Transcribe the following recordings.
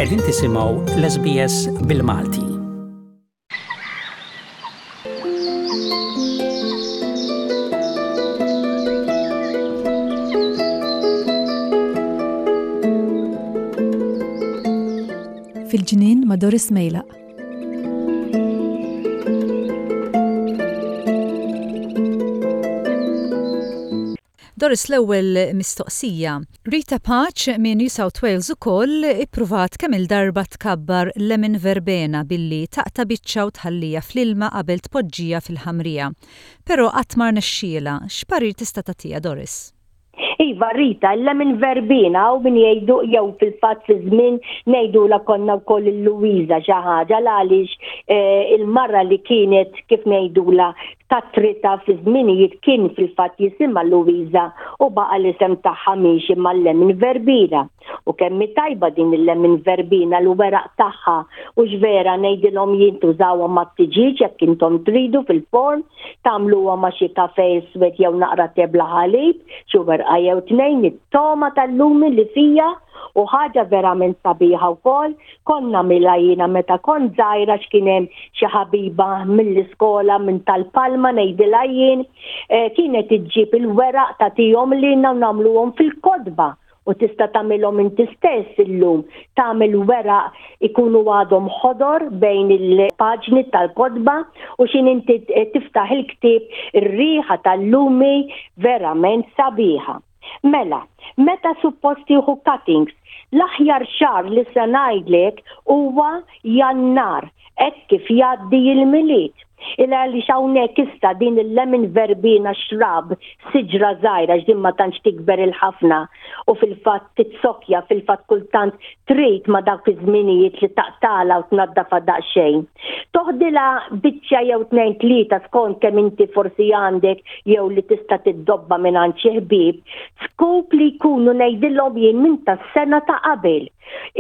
Qegħdin tisimgħu l-SBS bil-Malti. Fil-ġnien ma' Doris Mejlaq. Doris l-ewwel mistoqsija. Rita Pace minn New South Wales ukoll ippruvat kemm-il darba tkabbar lemon verbena billi taqta' biċċa u tħalliha fl-ilma qabel tpoġġiha fil-ħamrija. Però qatt ma rnexxielha. X'parir tista' tagħtiha Doris? Iva Rita, il-lemon verbena hawn min jgħidu jew fil-fatt fi żmien ngħidulha konna wkoll il-Luwiża xi ħaġa l-għaliex eh, il-mara li kienet kif ngħidulha Katrita fi żminijiet kien fil-fatt jisimha Luwiża u baqa' l-isem tagħha miexi mal-lemon verbena. U kemm hi tajba din il-lemon verbena l-weraq tagħha hux vera ngħidilhom jien tużawhom mat-tiġieġ jekk intom tridu fil-forn, tagħmluhom ma' xi kafè iswed jew naqra te bla ħalib, xi werqa jew tnejn, it-togħma tal-lumi li fiha u ħaġa verament sabiħa wkoll Kont nagħmilha jiena meta kont żgħira x'kien hemm xi ħabiba mill-iskola minn tal-Palma ngħidilha jien, eh, kienet iġġib il-weraq tagħtihom lilna u nagħmluhom fil-kotba u tista' tagħmilhom inti stess illum. Tagħmel weraq ikunu għadhom ħodor bejn il-paġni tal-kotba u x'in inti tiftaħ il-ktieb ir-riħa tal-lumi verament sabiħa. Mela, meta suppost tieħu cuttings? L-aħjar xahar li se ngħidlek huwa Jannar, hekk kif jgħaddi l-Milied. Il għaliex hawnhekk issa din il-lemon verbena shrub, siġra żgħira għax din ma tantx tikber il-ħafna u fil-fatt titsokkja, fil-fatt kultant trid ma' dawk iż-żminijiet li taqtagħlha u tnaddafha daqsxejn. Toħdilha biċċa jew tnejn tlieta skont kemm inti forsi għandek jew li tista' tiddobba mingħand xi ħbieb, scoop li jkunu ngħidilhom jien minn tas-sena ta' qabel.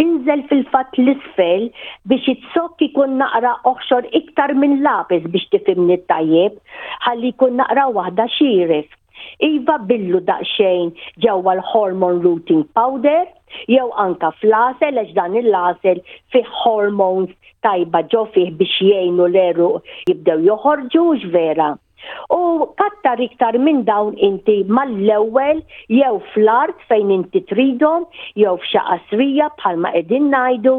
Inżel fil-fatt l-isfel biex iz-zokk ikun naqra oħxor iktar minn lapis biex tifhimni tajjeb, ħalli jkun naqra waħda xieref. Iva billu daqsxejn ġewwa l-hormone rooting powder jew anka fl-għasel għax dan il-għasel fih hormones tajba ġo fih biex jgħinu l-għeruq jibdew joħorġu hux vera? U kattar iktar minn dawn inti mal-ewwel jew fl-art fejn inti tridhom jew f'xi qasrija bħalma qegħdin ngħidu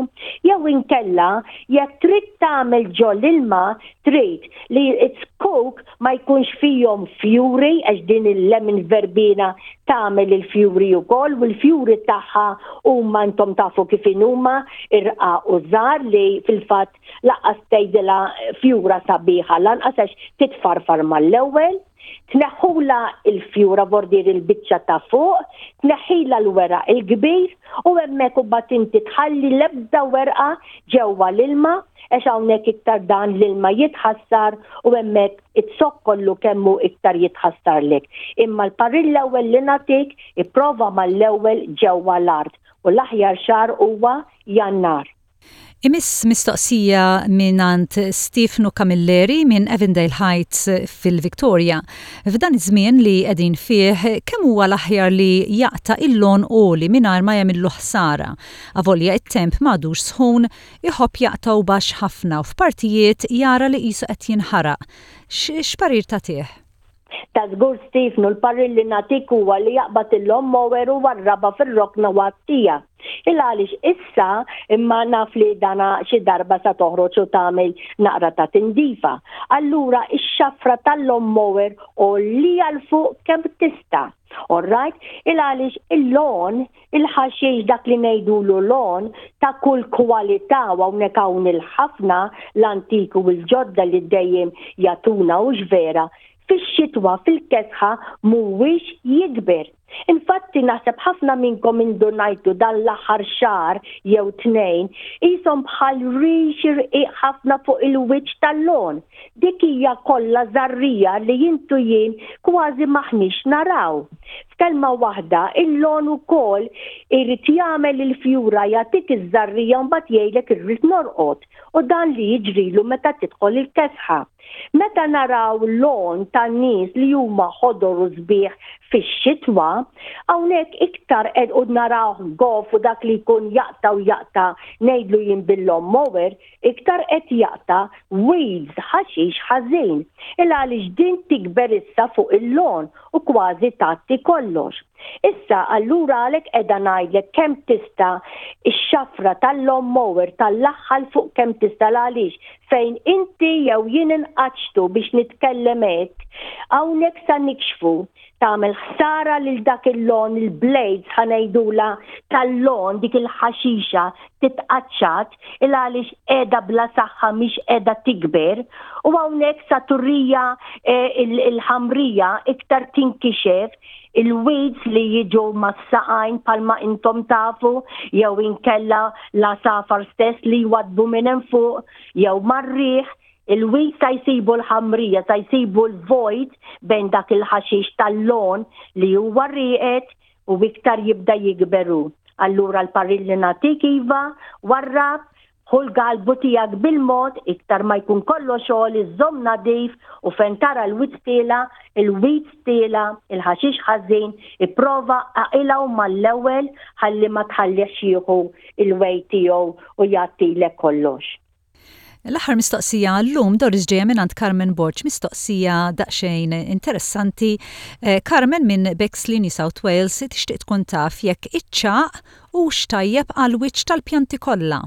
jew inkella jekk trid tagħmel ġo l-ilma trid li z-zkuk ma jkunx fihom fjuri għax din il-lemon verbena tagħmel il-fjuri wkoll u l-fjuri tagħha huma intom tafu kif inhuma irqaq u żgħar li fil-fatt lanqas tgħidilha fjura sabiħa lanqas għax titfarfar mal-ewwel. Tneħħulha l-fjura vordir il-biċċa ta' fuq, tneħħilha l-weraq il-kbir u hemmhekk imbagħad inti tħalli l-ebda werqa ġewwa l-ilma għax hawnhekk iktar dan l-ilma jitħassar u hemmhekk iz-zokk kollu kemm hu iktar jitħassarlek. Imma l-parir l-ewwel li nagħtik ipprova mal-ewwel ġewwa l-art u l-aħjar xahar huwa Jannar. Imiss mistoqsija mingħand Stiefnu Camilleri minn Avondale Heights fil-Victoria. F'dan iż-żmien li qegħdin fih, kemm huwa l-aħjar li jaqta' il-lawn għoli mingħajr ma jagħmillu ħsara? Avolja it-temp m'għadux sħun, iħobb jaqtgħu baxx ħafna u f'partijiet jara li qisu qed jinħaraq. X'parir tagħtih? Ta' żgur Stiefnu, l-parir li nagħtik huwa li jaqbad il-lawn mower u warrabha fir-rokna u għattija. Il għaliex issa imma naf li dana xi darba sa toħroġ u tagħmel naqra ta' tindifa. Allura x-xafra tal-lawn mower għollija 'l fuq kemm tista'. All right? Il għaliex il-lawn Il-ħaxix dak li ngħidulu lawn ta' kull kwalità u hawnhekk hawn il-ħafna l-antiki u l-ġodda li dejjem jagħtuna hux vera, fix-xitwa fil-kesħa mhuwiex jikber. Infatti naħseb ħafna minnkom indunajtu dan l-aħħar xahar jew tnejn qishom bħal rix irqiq ħafna fuq il-wiċċ tal-lawn. Dik hija kollha żarrija li int u jien kważi m'aħniex naraw. F'kelma waħda, il-lawn ukoll irid jagħmel il-fjura jagħtik iż-żarrija u mbagħad jgħidlek irrid norqod u dan li jiġrilu meta tidħol il-kesħa. Meta naraw lawn ta' nies li huma ħodor u sbieħ fix-xitwa. Hawnhekk iktar qed u narawh goff u dak li jkun jaqta' u jaqta' ngħidlu jien bil-lawn mower, iktar qed jaqta' weeds, ħaxix ħażin. Il għaliex din tikber issa fuq il-lawn u kważi tgħatti kollox. Issa allura għalhekk qiegħda ngħidlek kemm tista' x-xafra tal-lawn mower tallagħha 'l fuq kemm tista' l għaliex fejn inti jew jien inqaċċtu biex nitkellem hekk, hawnhekk sa nikxfu tagħmel ħsara lil dak il-lawn il-blades ħa ngħidulha tal-lawn dik il-ħaxixa titqaċċat il għaliex qiegħda bla saħħa mhix qiegħda tikber u hawnhekk sa turija eh, il-ħamrija iktar tinkixef il-weeds li jiġu mas-saqajn palma intom tafu jew inkella l-għasafar stess li jwadbu minn hemm fuq jew mar-riħ il-weeds sa jsibu l-ħamrija, sa jsibu l-vojt bejn dak il-ħaxix tal-lon li huwa rieqed u iktar jibda jikber hu. Allura l-parir li nagħtik iva, warrab, ħu l-galbu tiegħek bil-mod, iktar ma jkun kollox għoli żomm nadif u fejn tara l-weeds tiela', il-weeds tiela', il-ħaxix ħażin, ipprova aqilgħu mal-ewwel ħalli ma tħallihx jieħu l-way tiegħu u jgħattilek kollox. L-aħħar mistoqsija għal-lum, Doris ġejja mingħand Carmen Borg, mistoqsija daqsxejn interessanti. Eh, Carmen minn Bexley, New South Wales, tixtieq tkun taf jekk iċ-ċagħaq hux tajjeb għall-wiċċ tal-pjanti kollha.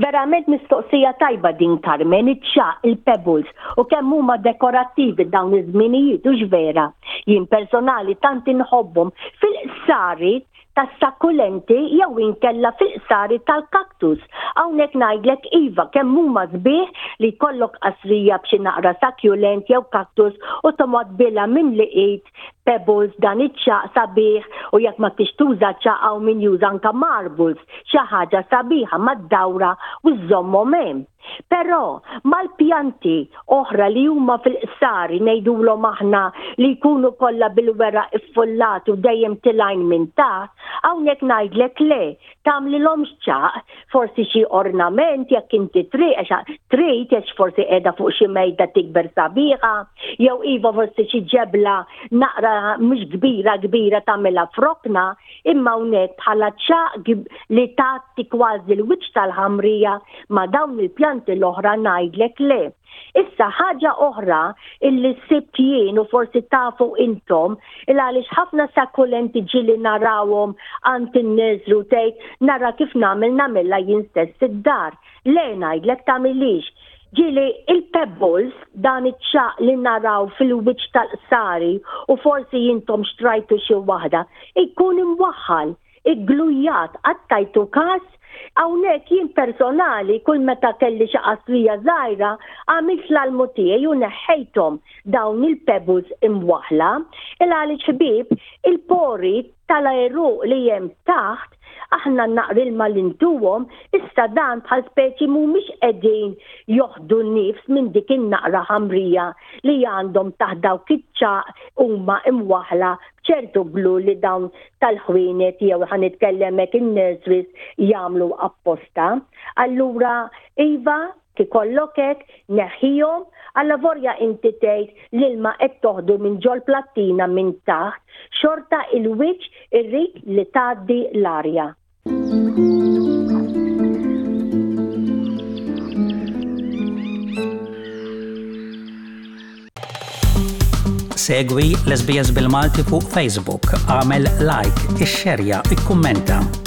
Verament mistoqsija tajba din Carmen, iċ-ċagħaq, il-pebbles, u kemm huma dekorattivi dawn iż-żminijiet, hux vera? Jien personali tant inħobbhom fil-qsari tas-sakkulenti jew inkella fil-qsari tal-kaktus. Hawnhekk ngħidlek iva kemm huma sbieħ li jkollok qasrija b'xi naqra succulent jew kaktus u tomgħod bilha mimli id pebbles dan iċ-ċagħaq sabiħ u jekk ma tix tuża ċagħaq hawn min juża anke marbles xi ħaġa sabiħa mad-dawra u żżommhom hemm. Però, mal-pjanti oħra li huma fil-qsari ngħidulhom aħna li jkunu kollha bil-weraq iffullat u dejjem tilgħin minn taħt, hawnhekk ngħidlek le, tagħmlilhomx ċagħaq, forsi xi ornament jekk inti trid għax trid għax forsi qiegħda fuq xi mejda tikber sabiħa, jew iva forsi xi ġebla naqra mhux kbira kbira tagħmilha f'rokna, Imma hawnhekk bħala ċagħaq li tgħatti kważi l-wiċċ tal-ħamrija ma' dawn il-pjanti l-oħra ngħidlek le. Issa ħaġa oħra illi sibt jien u forsi tafu intom il għaliex ħafna sakkulenti ġieli narawhom għand in-nursery u tgħid nara kif nagħmel nagħmilha jien stess id-dar. Le ngħidlek tagħmilhiex. Ġieli il-pebbles, dan iċ-ċagħaq li naraw fil-wiċċ tal-qsari u forsi intom xtrajtu xi waħda, ikun imwaħħal, igglujat, qatt tajtu kas? Hawnhekk jien personali kull meta kelli xi qasrija żgħira għamilt l-almu tiegħi u neħħejthom dawn il-pebbles imwaħħla. Il għaliex ħbieb, il-pori tal-għeruq li hemm taħt, aħna naqrilma li ntuhom, issa dan bħal speċi mhumiex qegħdin joħdu nifs minn dik in-naqra ħamrija li għandhom taħt dawk iċ-ċagħaq huma imwaħħla b'ċertu glue li dawn tal-ħwienet jew ħa nitkellem hekk in-nurseries jagħmlu apposta. Allura iva, Ikollok hekk, neħħihom, allavorja inti tgħid l-ilma qed toħdu minn ġol-plattina minn taħt, xorta il-wiċċ irrid li tgħaddi l-arja. Segwi l-SBS bil-Malti fuq Facebook, għamel like, ixxerja, ikkummenta.